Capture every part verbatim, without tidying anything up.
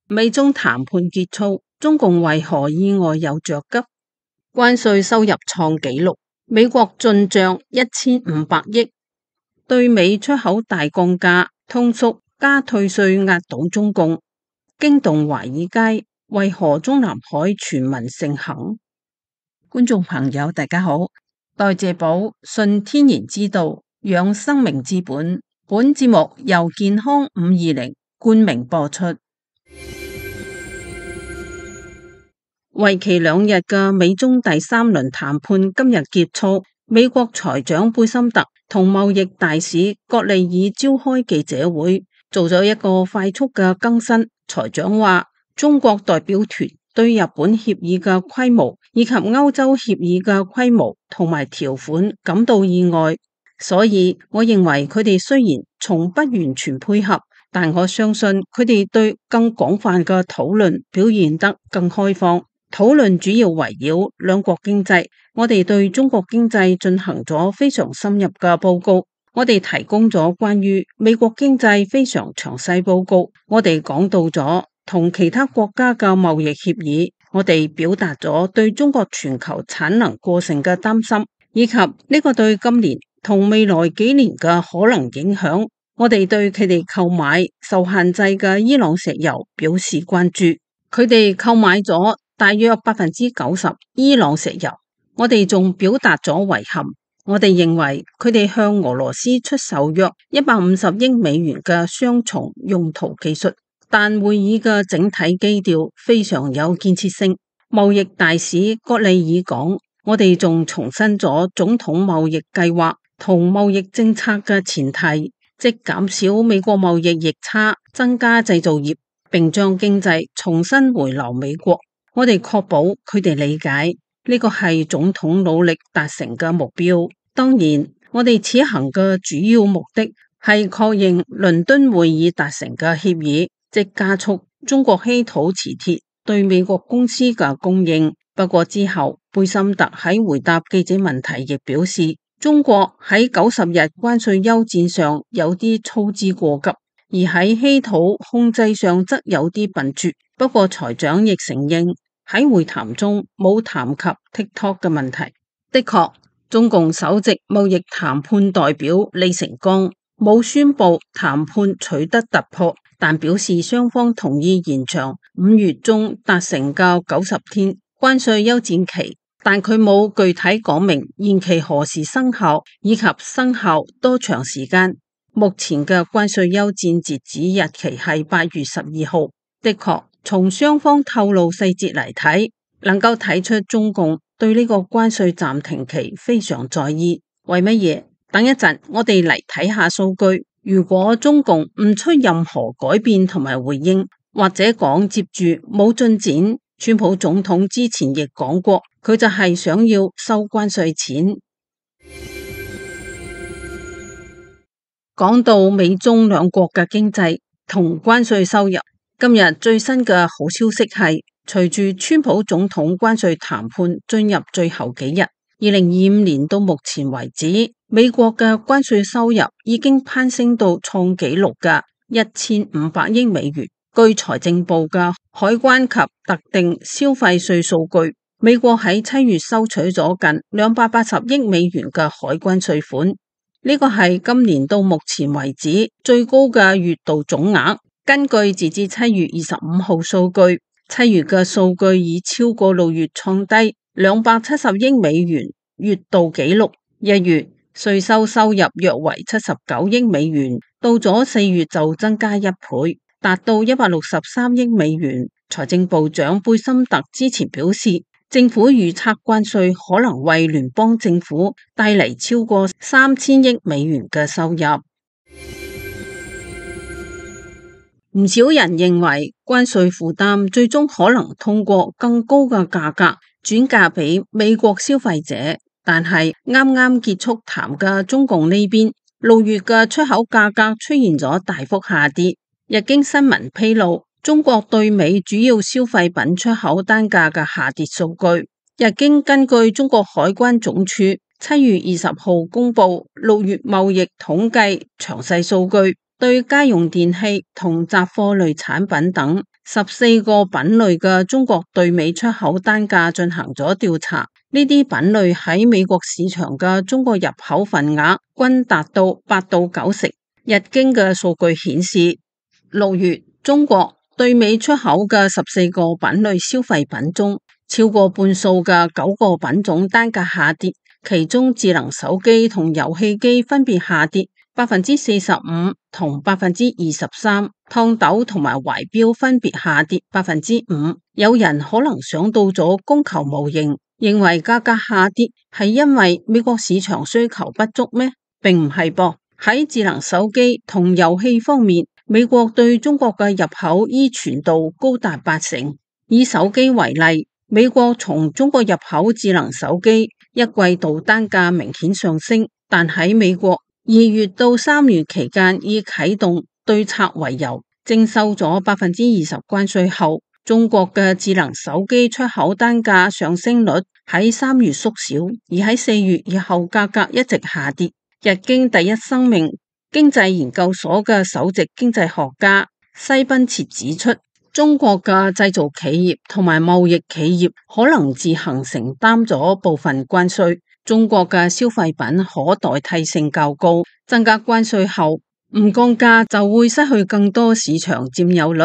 美中談判結束，中共為何意外又着急？關稅收入創紀錄，美國進賬一千五百億，對美出口大降價，通縮加退稅壓倒中共，驚動華爾街。為何中南海傳聞盛行？觀眾朋友大家好，代謝寶信天然之道，養生命之本。本節目由健康五二零冠名播出。為期兩日嘅美中第三輪談判今日結束，美國財長貝森特同貿易大使葛利爾召開記者會，做咗一個快速嘅更新。財長話，中國代表團對日本協議嘅規模以及歐洲協議嘅規模同埋條款感到意外，所以我認為佢哋雖然從不完全配合，但我相信佢哋對更廣泛嘅討論表現得更開放。討論主要圍繞兩國經濟，我哋對中國經濟進行咗非常深入嘅報告，我哋提供咗關於美國經濟非常詳細報告，我哋講到咗同其他國家嘅貿易協議，我哋表達咗對中國全球產能過剩嘅擔心，以及呢個對今年同未來幾年嘅可能影響，我哋對佢哋購買受限制嘅伊朗石油表示關注，佢哋購買咗大約百分之九十伊朗石油，我哋仲表達咗遺憾，我哋認為佢哋向俄羅斯出售約一百五十億美元嘅雙重用途技術，但會議嘅整體基調非常有建設性。貿易大使葛利爾講，我哋仲重申咗總統貿易計劃同貿易政策嘅前提，即減少美國貿易逆差，增加製造業，並將經濟重新回流美國。我哋確保佢哋理解呢個係總統努力達成嘅目標。當然，我哋此行嘅主要目的係確認倫敦會議達成嘅協議，即加速中國稀土磁鐵對美國公司嘅供應。不過之後，貝森特喺回答記者問題亦表示，中國喺九十日關稅休戰上有啲操之過急，而喺稀土控制上則有啲笨拙。不過財長亦承認，喺會談中冇談及 TikTok 嘅問題。的確，中共首席貿易談判代表李成鋼冇宣布談判取得突破，但表示雙方同意延長五月中達成嘅九十天關稅休戰期，但佢冇具體講明延期何時生效以及生效多長時間。目前嘅關稅休戰截止日期係八月十二號。的確，從雙方透露細節嚟睇，能夠睇出中共對呢個關稅暫停期非常在意。為乜嘢？等一陣，我哋嚟睇下數據。如果中共唔出任何改變同埋回應，或者講接住冇進展，川普總統之前亦講過，佢就係想要收關稅錢。講到美中兩國嘅經濟同關稅收入，今日最新嘅好消息係，隨住川普總統關稅談判進入最後幾日，二零二五年到目前為止，美國嘅關稅收入已經攀升到創紀錄嘅一千五百億美元。據財政部嘅海關及特定消費稅數據，美國喺七月收取咗近兩百八十億美元嘅海關稅款，呢個係今年到目前為止最高嘅月度總額。根據截至七月二十五號數據，七月嘅數據已超過六月創低兩百七十億美元月度紀錄。一月稅收收入約為七十九億美元，到咗四月就增加一倍，達到一百六十三億美元。財政部長貝森特之前表示，政府預測關稅可能為聯邦政府帶嚟超過三千億美元嘅收入。唔少人認為關稅負擔最終可能通過更高嘅價格轉嫁俾美國消費者，但係啱啱結束談嘅中共呢邊，六月嘅出口價格出現咗大幅下跌。日經新聞披露，中國對美主要消費品出口單價嘅下跌數據。日經根據中國海關總署七月二十號公布六月貿易統計詳細數據，對家用電器同雜貨類產品等十四個品類嘅中國對美出口單價進行咗調查，呢啲品類喺美國市場嘅中國入口份額均達到八到九成。日經嘅數據顯示，六月中國對美出口嘅十四個品類消費品中，超過半數嘅九個品種單價下跌，其中智能手機同遊戲機分別下跌百分之四十五同百分之二十三，燙斗同埋懷錶分別下跌百分之五。有人可能想到咗供求模型，認為價格下跌係因為美國市場需求不足咩？並唔係噃。喺智能手機同遊戲方面，美國對中國嘅入口依存度高達八成。以手機為例，美國從中國入口智能手機一季度單價明顯上升，但喺美國二月到三月期間以啟動對策為由，徵收咗百分之二十關稅後，中國嘅智能手機出口單價上升率喺三月縮小，而喺四月以後價格一直下跌。日經第一生命經濟研究所嘅首席經濟學家西賓切指出，中國嘅製造企業同埋貿易企業可能自行承擔咗部分關稅，中國嘅消費品可代替性較高，增加關稅後唔降價就會失去更多市場佔有率，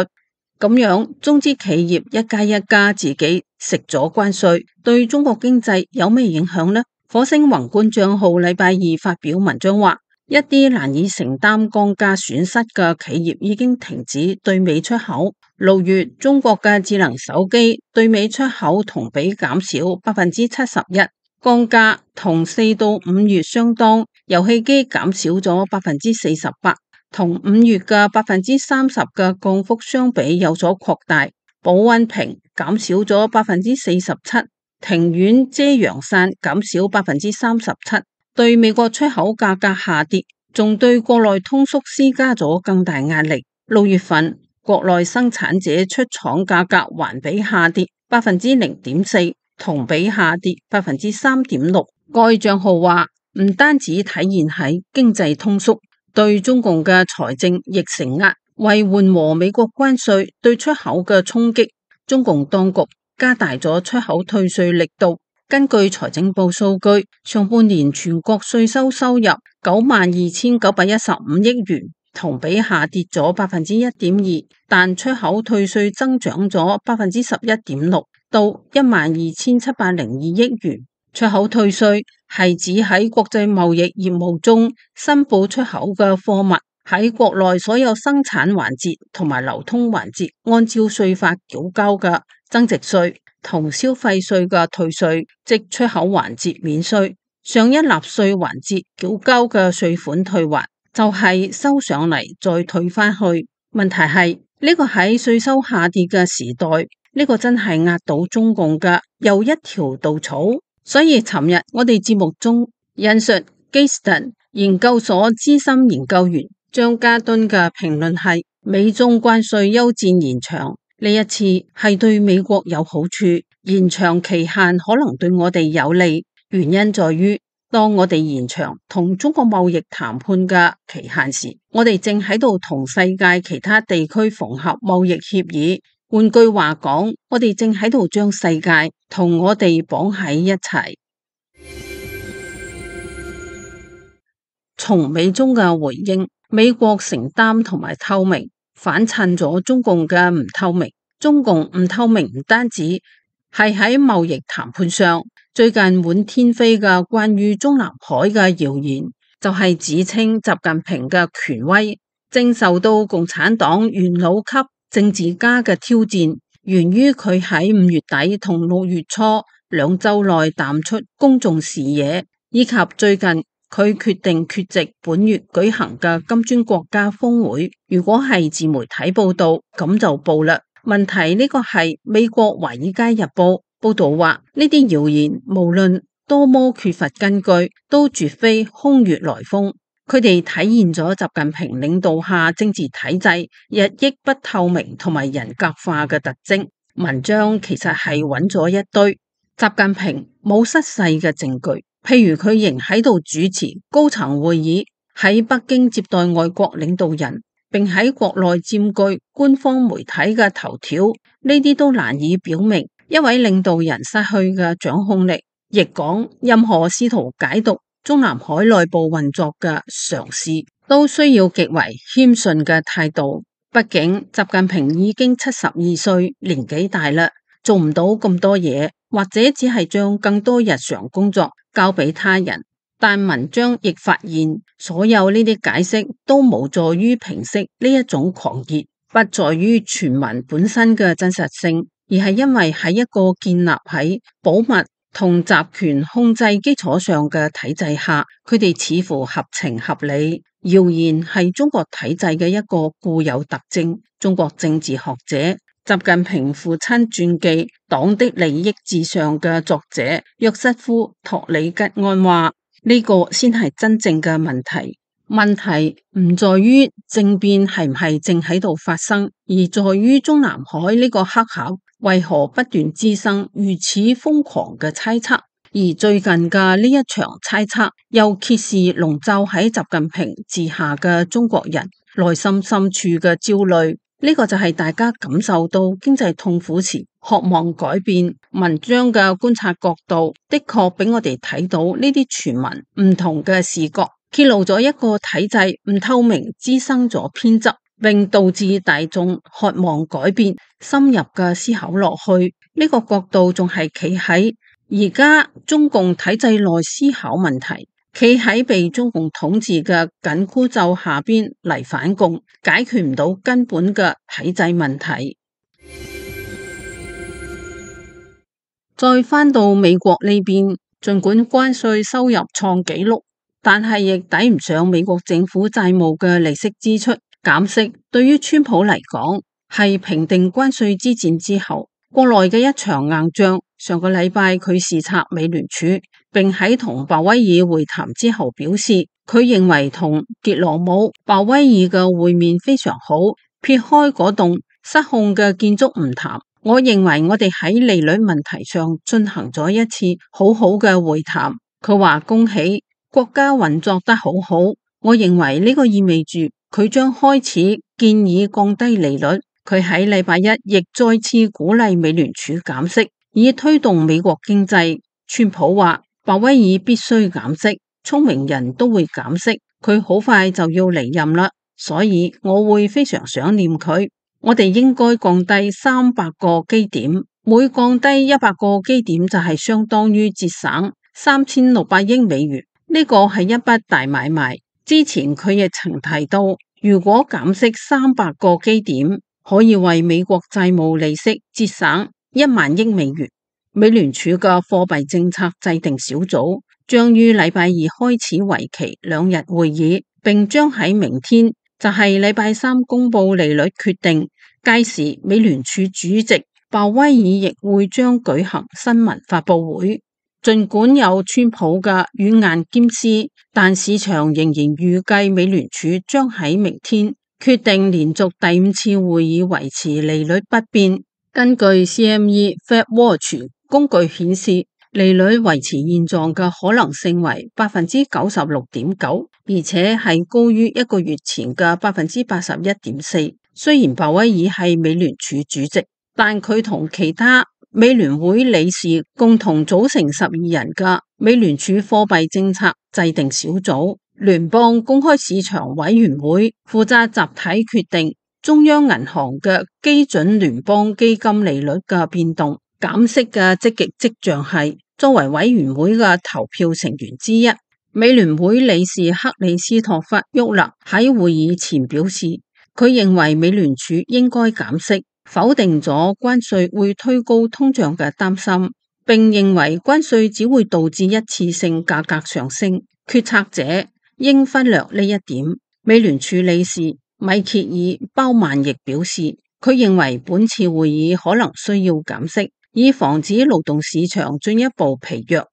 咁樣中資企業一家一家自己食咗關稅，對中國經濟有咩影響呢？火星宏觀賬號禮拜二發表文章話，一啲難以承擔降價損失嘅企業已經停止對美出口。六月中國嘅智能手機對美出口同比減少百分之七十一，降價同四到五月相當。遊戲機減少咗百分之四十八，同五月嘅百分之三十嘅降幅相比有所擴大。保溫瓶減少咗百分之四十七。庭院遮陽傘減少百分之三十七，對美國出口價格下跌，仲對國內通縮施加咗更大壓力。六月份國內生產者出廠價格環比下跌百分之零點四，同比下跌百分之三點六。該賬號話，唔單止體現喺經濟通縮，對中共嘅財政亦承壓，為緩和美國關稅對出口嘅衝擊，中共當局加大咗出口退稅力度。根據財政部數據，上半年全國稅收收入九萬二千九百一十五億元，同比下跌咗百分之一點二，但出口退稅增長咗百分之十一點六，到一萬二千七百零二億元。出口退稅係指喺國際貿易業務中申報出口嘅貨物喺國內所有生產環節同埋流通環節按照稅法繳交嘅增值稅同消費稅嘅退稅，即出口環節免稅，上一納稅環節繳交嘅稅款退還，就係收上嚟再退返去。問題係呢個喺稅收下跌嘅時代，呢個真係壓倒中共嘅又一條稻草。所以尋日我哋節目中引述基斯頓研究所資深研究員張家敦嘅評論係，美中關稅休戰延長，呢一次係對美國有好處，延長期限可能對我哋有利。原因在於，當我哋延長同中國貿易談判嘅期限時，我哋正喺度同世界其他地區縫合貿易協議。換句話講，我哋正喺度將世界同我哋綁喺一齊。從美中嘅回應，美國承擔同埋透明，反襯咗中共嘅唔透明。中共唔透明唔單止係喺貿易談判上，最近滿天飛嘅關於中南海嘅謠言，就係、是、指稱習近平嘅權威正受到共產黨元老級政治家嘅挑戰，源於佢喺五月底同六月初兩周內淡出公眾視野，以及最近佢決定缺席本月舉行嘅金磚國家峰會。如果係自媒體報道，咁就報啦。問題呢個係美國華爾街日報報道話，呢啲謠言無論多麼缺乏根據，都絕非空穴來風。佢哋體現咗習近平領導下政治體制日益不透明同埋人格化嘅特徵。文章其實係揾咗一堆習近平冇失勢嘅證據，譬如佢仍喺度主持高層會議，喺北京接待外國領導人，並喺國內佔據官方媒體嘅頭條，呢啲都難以表明一位領導人失去嘅掌控力。亦講任何試圖解讀中南海內部運作嘅嘗試，都需要極為謙遜嘅態度。畢竟習近平已經七十二歲，年紀大啦，做唔到咁多嘢，或者只係將更多日常工作交俾他人。但文章亦發現，所有呢啲解釋都無助於平息呢一種狂熱，不在於傳聞本身嘅真實性，而係因為喺一個建立喺保密同集權控制基礎上嘅體制下，佢哋似乎合情合理。謠言係中國體制嘅一個固有特徵。中國政治學者、習近平父親傳記《黨的利益至上》嘅作者約瑟夫托里吉安話：呢個先係真正嘅問題。問題唔在於政變係唔係正喺度發生，而在於中南海呢個黑盒為何不斷滋生如此瘋狂嘅猜測。而最近嘅呢一場猜測又揭示籠罩喺習近平治下嘅中國人內心深處嘅焦慮。呢個就係大家感受到經濟痛苦時渴望改變。文章嘅觀察角度的確俾我哋睇到呢啲傳聞唔同嘅視角，揭露咗一個體制唔透明，滋生咗偏執，並導致大眾渴望改變。深入嘅思考落去，呢個角度仲係企喺而家中共體制內思考問題，企喺被中共統治嘅緊箍咒下邊嚟反共，解決唔到根本嘅體制問題。再返到美國呢邊，儘管關稅收入創紀錄，但係亦抵唔上美國政府債務嘅利息支出。減息對於川普嚟講係平定關稅之戰之後國內嘅一場硬仗。上個禮拜佢視察美聯儲，並喺同鮑威爾會談之後表示，佢認為同傑羅姆、鮑威爾嘅會面非常好。撇開嗰棟失控嘅建築唔談，我認為我哋喺利率問題上進行咗一次好好嘅會談。佢話恭喜國家運作得好好，我認為呢個意味住佢將開始建議降低利率。佢喺禮拜一亦再次鼓勵美聯儲減息，以推動美國經濟。川普話鮑威爾必須減息，聰明人都會減息，佢好快就要離任啦，所以我會非常想念佢。我哋應該降低三百個基點，每降低一百個基點就係相當於節省三千六百億美元，呢個係一筆大買賣。之前佢亦曾提到，如果減息三百個基點，可以為美國債務利息節省一萬億美元。美聯儲嘅貨幣政策制定小組將於禮拜二開始為期兩日會議，並將喺明天，就係禮拜三公布利率決定。屆時美聯儲主席鮑威爾亦會將舉行新聞發佈會。儘管有川普嘅軟硬兼施，但市場仍然預計美聯儲將喺明天決定連續第五次會議維持利率不變。根據 C M E Fed Watch 工具顯示，利率維持現狀嘅可能性為百分之九十六點九，而且係高於一個月前嘅百分之八十一點四。雖然鮑威爾係美聯儲主席，但佢同其他美聯會理事共同組成十二人嘅美聯儲貨幣政策制定小組聯邦公開市場委員會負責集體決定中央銀行嘅基準聯邦基金利率嘅變動。減息嘅積極跡象係，作為委員會嘅投票成員之一，美聯會理事克里斯托弗沃勒喺會議前表示，佢認為美聯儲應該減息，否定咗關稅會推高通脹嘅擔心，並認為關稅只會導致一次性價格上升。決策者應忽略呢一點。美聯儲理事米歇爾鮑曼亦表示，佢認為本次會議可能需要減息，以防止勞動市場進一步疲弱。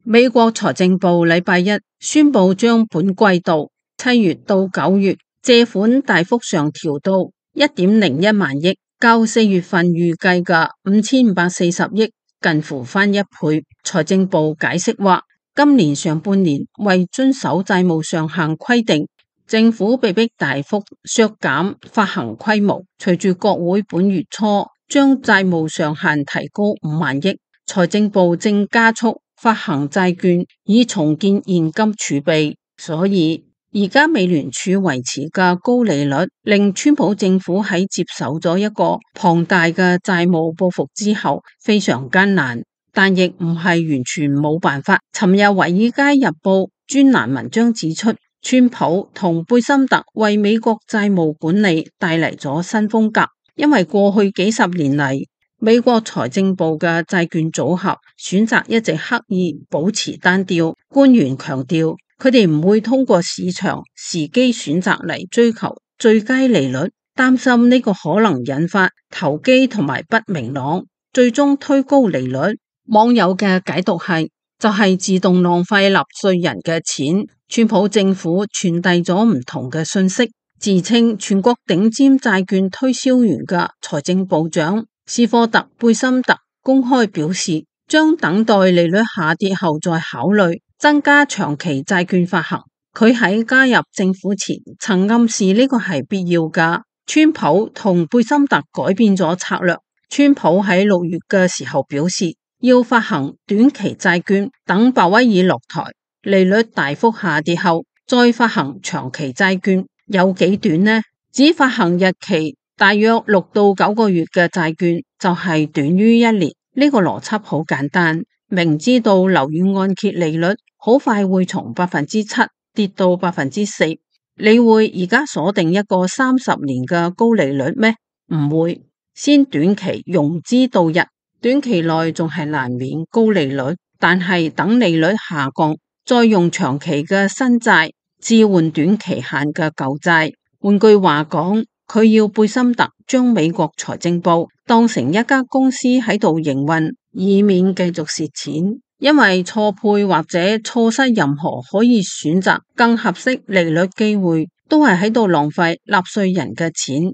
美國財政部禮拜一宣布將本季度七月到九月借款大幅上調到一點零一萬億，較四月份預計嘅五千五百四十億近乎翻一倍。財政部解釋話，今年上半年為遵守債務上限規定，政府被迫大幅削減發行規模。隨住國會本月初將債務上限提高五萬億，財政部正加速發行債券以重建現金儲備。所以而家美聯儲維持嘅高利率，令川普政府喺接手咗一個龐大嘅債務報復之後非常艱難，但亦唔係完全冇辦法。尋日《華爾街日報》專欄文章指出，川普同貝森特為美國債務管理帶嚟咗新風格，因為過去幾十年嚟，美國財政部嘅債券組合選擇一直刻意保持單調。官員強調，佢哋唔會通過市場時機選擇嚟追求最佳利率，擔心呢個可能引發投機同埋不明朗，最終推高利率。網友嘅解讀係，就係、是、自動浪費納稅人嘅錢。川普政府傳遞咗唔同嘅信息，自稱全國頂尖債券推銷員嘅財政部長斯科特·貝森特公開表示，將等待利率下跌後再考慮增加長期債券發行。佢喺加入政府前曾暗示呢個係必要㗎。川普同貝森特改變咗策略。川普喺六月嘅時候表示，要發行短期債券，等鮑威爾落台，利率大幅下跌後再發行長期債券。有幾短呢？只發行日期大約六到九個月嘅債券就係短於一年。呢個邏輯好簡單，明知道樓宇按揭利率好快會從百分之七跌到百分之四，你會而家鎖定一個三十年嘅高利率咩？唔會，先短期融資度日，短期內仲係難免高利率，但係等利率下降，再用長期嘅新債置換短期限嘅舊債。換句話講，佢要貝森特將美國財政部當成一家公司喺度營運，以免繼續蝕錢。因為錯配或者錯失任何可以選擇更合適利率機會，都係喺度浪費納稅人嘅錢。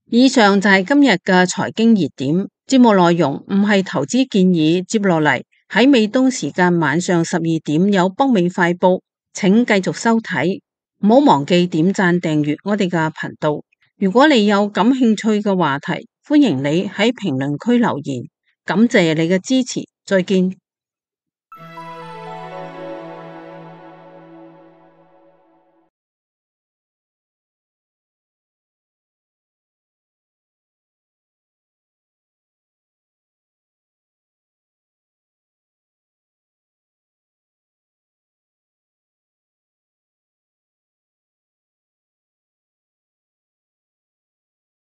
以上就係今日嘅財經熱點。節目內容唔係投資建議。接落嚟喺美東時間晚上十二點有北美快報，請繼續收睇。唔好忘記點讚訂閱我哋嘅頻道。如果你有感興趣嘅話題，歡迎你喺評論區留言。感謝你嘅支持，再見。